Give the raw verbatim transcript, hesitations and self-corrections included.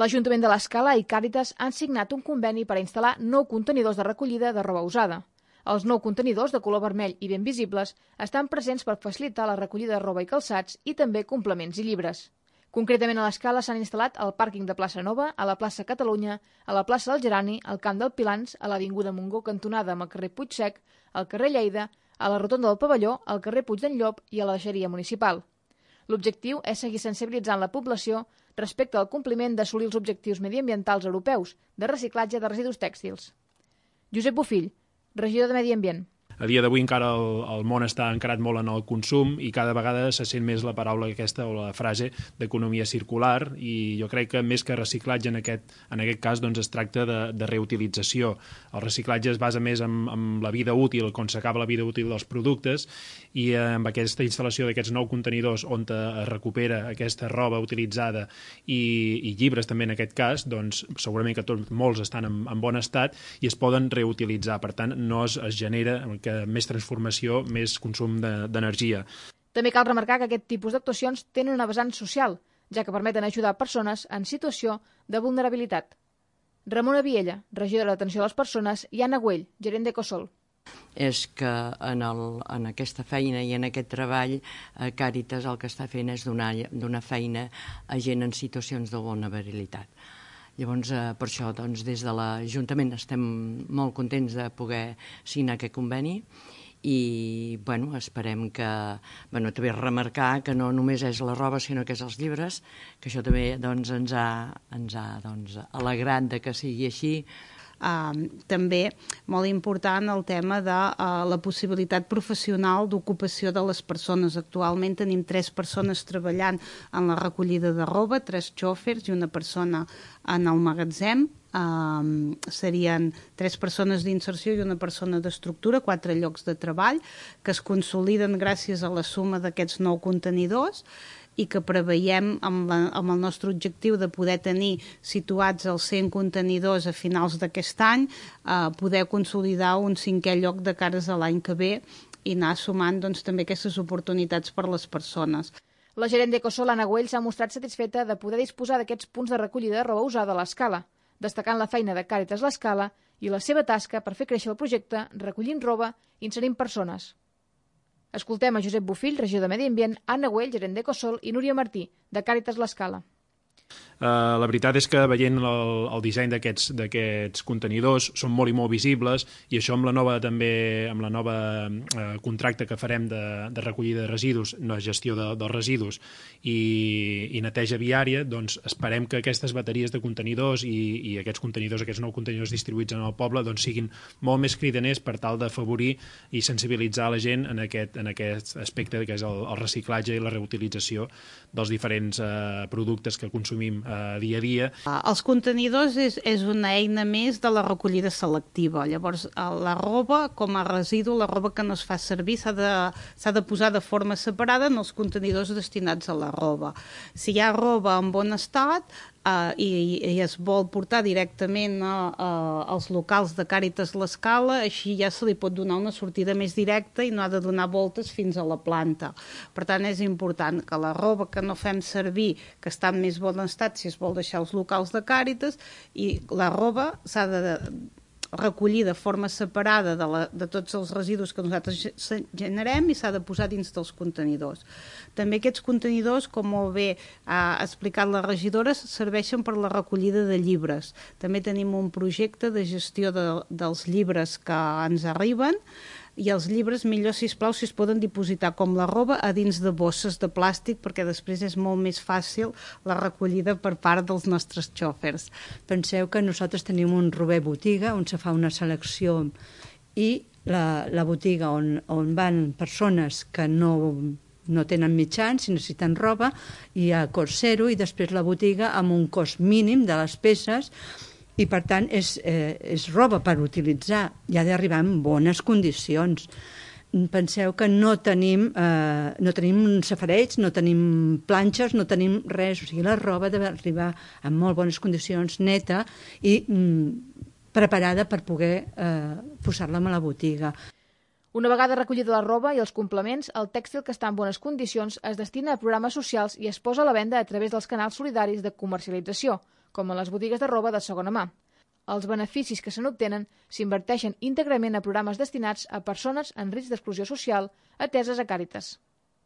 L'Ajuntament de l'Escala i Càritas han signat un conveni per a instal·lar nou contenidors de recollida de roba usada. Els nou contenidors, de color vermell i ben visibles, estan presents per facilitar la recollida de roba i calçats i també complements i llibres. Concretament a l'Escala s'han instal·lat al pàrquing de Plaça Nova, a la plaça Catalunya, a la plaça del Gerani, al camp del Pilans, a l'avinguda Montgó cantonada amb el carrer Puigsec, al carrer Lleida, a la rotonda del Pavelló, al carrer Puig d'en Llop i a la deixeria municipal. L'objectiu és seguir sensibilitzant la població respecte al compliment d'assolir els objectius mediambientals europeus de reciclatge de residus tèxtils. Josep Bofill, regidor de Medi Ambient. A dia d'avui encara el, el món està encarat molt en el consum i cada vegada se sent més la paraula aquesta o la frase d'economia circular, i jo crec que més que reciclatge en aquest, en aquest cas doncs es tracta de, de reutilització. El reciclatge es basa més en, en la vida útil, quan s'acaba la vida útil dels productes, i eh, amb aquesta instal·lació d'aquests nou contenidors on es recupera aquesta roba utilitzada i, i llibres també en aquest cas, doncs segurament que tots, molts estan en, en bon estat i es poden reutilitzar. Per tant, no es, es genera que més transformació, més consum d'energia. També cal remarcar que aquest tipus d'actuacions tenen una vessant social, ja que permeten ajudar persones en situació de vulnerabilitat. Ramona Viella, regidora d'Atenció a les Persones, i Anna Güell, gerent d'Ecosol. És que en, el, en aquesta feina i en aquest treball eh, Càritas el que està fent és donar, donar feina a gent en situacions de vulnerabilitat. Llavors, eh, per això, doncs, des de l'Ajuntament estem molt contents de poder signar aquest conveni i, bueno, esperem que, bueno, també remarcar que no només és la roba, sinó que és els llibres, que això també, doncs, ens ha, ens ha doncs, alegrat de que sigui així. Uh, també molt important el tema de uh, la possibilitat professional d'ocupació de les persones. Actualment tenim tres persones treballant en la recollida de roba, tres xòfers i una persona en el magatzem. Uh, serien tres persones d'inserció i una persona d'estructura, quatre llocs de treball que es consoliden gràcies a la suma d'aquests nou contenidors i que preveiem amb, la, amb el nostre objectiu de poder tenir situats els cent contenidors a finals d'aquest any, eh, poder consolidar un cinquè lloc de cares a l'any que ve i anar sumant doncs, també aquestes oportunitats per a les persones. La gerent d'Ecosol, Anna Güell, s'ha mostrat satisfeta de poder disposar d'aquests punts de recollida de roba usada a l'Escala, destacant la feina de Càritas l'Escala i la seva tasca per fer créixer el projecte recollint roba i inserint persones. Escoltem a Josep Bofill, regidor de Medi Ambient, Anna Güell, gerent d'Ecosol, i Núria Martí, de Càritas l'Escala. Uh, la veritat és que veient el, el disseny d'aquests d'aquests contenidors són molt i molt visibles, i això amb la nova també amb la nova uh, contracte que farem de, de recollida de residus, no gestió de, dels residus i, i neteja viària, doncs esperem que aquestes bateries de contenidors i, i aquests contenidors, aquests nous contenidors distribuïts en el poble doncs siguin molt més cridaners per tal d'afavorir i sensibilitzar la gent en aquest, en aquest aspecte que és el, el reciclatge i la reutilització dels diferents uh, productes que consumim Uh, dia a dia. Uh, els contenidors és, és una eina més de la recollida selectiva. Llavors, uh, la roba, com a residu, la roba que no es fa servir s'ha de, s'ha de posar de forma separada en els contenidors destinats a la roba. Si hi ha roba en bon estat, Uh, i, i es vol portar directament uh, uh, als locals de Càritas l'Escala, així ja se li pot donar una sortida més directa i no ha de donar voltes fins a la planta. Per tant, és important que la roba que no fem servir, que està en més bon estat, si es vol deixar als locals de Càritas, i la roba s'ha de recollir de forma separada de, la, de tots els residus que nosaltres generem i s'ha de posar dins dels contenidors. També aquests contenidors, com molt bé ha explicat la regidora, serveixen per la recollida de llibres. També tenim un projecte de gestió de, dels llibres que ens arriben, i els llibres, millor, sisplau, si es poden dipositar com la roba a dins de bosses de plàstic, perquè després és molt més fàcil la recollida per part dels nostres xòfers. Penseu que nosaltres tenim un Rober botiga on se fa una selecció i la, la botiga on, on van persones que no, no tenen mitjans i necessiten roba, i a cost zero, i després la botiga amb un cost mínim de les peces, i per tant és, eh, és roba per utilitzar i ha d'arribar en bones condicions. Penseu que no tenim, eh, no tenim safareig, no tenim planxes, no tenim res, o sigui, la roba ha d'arribar en molt bones condicions, neta i mm, preparada per poder eh, posar-la a la botiga. Una vegada recollida la roba i els complements, el tèxtil que està en bones condicions es destina a programes socials i es posa a la venda a través dels canals solidaris de comercialització, com a les botigues de roba de segona mà. Els beneficis que se n'obtenen s'inverteixen íntegrament a programes destinats a persones en risc d'exclusió social ateses a Càritas.